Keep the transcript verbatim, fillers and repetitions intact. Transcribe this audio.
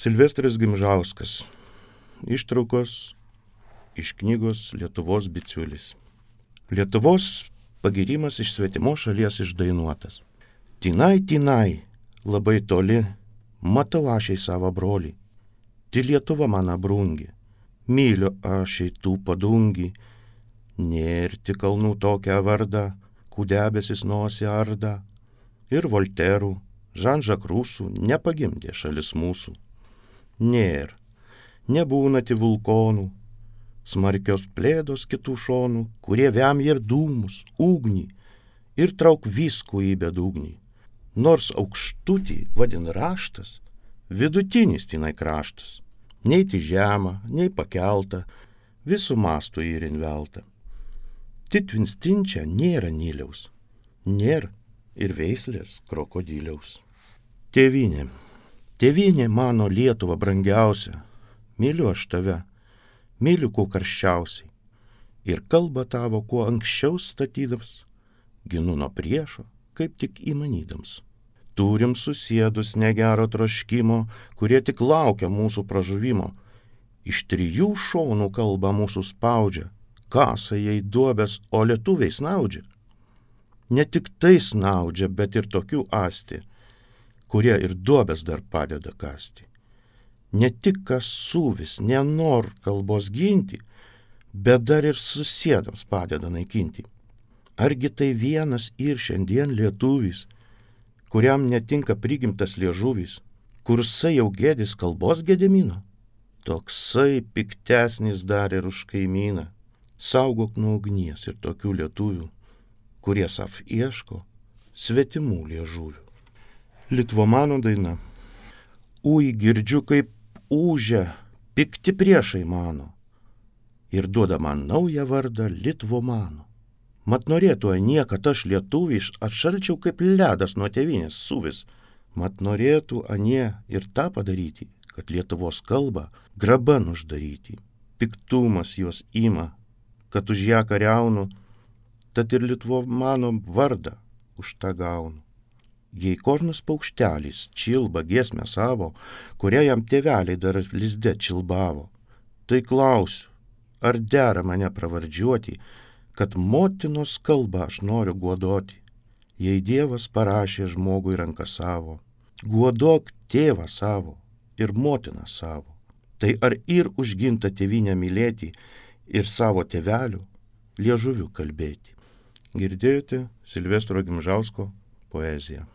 Silvestras Gimžauskas. Ištraukos iš knygos Lietuvos bičiulis. Lietuvos pagyrimas iš svetimos šalies išdainuotas. Tinai, tinai, labai toli, matau aš į savo brolį. Ti Lietuva mano brungi, myliu aš į tų padungi. Nėr tik kalnų tokią vardą, kų debesis nosį arda. Ir Volterų, Žan-Žak Rusų nepagimdė šalis mūsų. Nėr, nebūna ti vulkonų, smarkios plėdos kitų šonų, kurie vemja dūmus, ugnį ir trauk viskų į bedugnį. Nors aukštutį vadin raštas, vidutinis tinai kraštas, nei ti žema, nei pakelta, visų mastų ir invelta. Titvinstinčia nėra Niliaus, nėra ir veislės krokodiliaus. Tėvynė, tėvynė mano Lietuva brangiausia, myliu aš tave, myliu kuo karščiausiai, ir kalbą tavo kuo anksčiau statydams, ginu nuo priešo, kaip tik įmanydams. Turim susėdus negero troškimo, kurie tik laukia mūsų pražuvimo. Iš trijų šonų kalba mūsų spaudžia, kasa jai duobės, o lietuviai snaudžia. Ne tik tai snaudžia, bet ir tokių asti, kurie ir duobės dar padeda kasti. Ne tik kas suvis, nenor kalbos ginti, bet dar ir susėdams padeda naikinti. Argi tai vienas ir šiandien lietuvis, kuriam netinka prigimtas liežuvis, kursai jau gėdis kalbos gedimino? Toksai piktesnis dar ir už kaimyną. Saugok nuo ugnies ir tokių lietuvių, kurie sav ieško svetimų liežuvių. Litvomano daina. Ui, girdžiu, kaip ūžia pikti priešai mano ir duoda man naują vardą Litvomano. Mat norėtų anie, kad aš lietuviš atšalčiau kaip ledas nuo tėvynės suvis. Mat norėtų anie ir tą padaryti, kad Lietuvos kalbą graban uždaryti. Piktumas juos ima, kad už ją kariaunu, tad ir Litvomano vardą už tą gaunu. Jei kornas paukštelis čilba giesmę savo, kurią jam tėveliai dar lizde čilbavo, tai klausiu, ar dera mane pravardžiuoti, kad motinos kalbą aš noriu guodoti. Jei Dievas parašė žmogui ranką savo, guodok tėvą savo ir motiną savo. Tai ar ir užginta tėvynę mylėti ir savo tėvelių liežuvių kalbėti. Girdėjote Silvestro Gimžausko poeziją.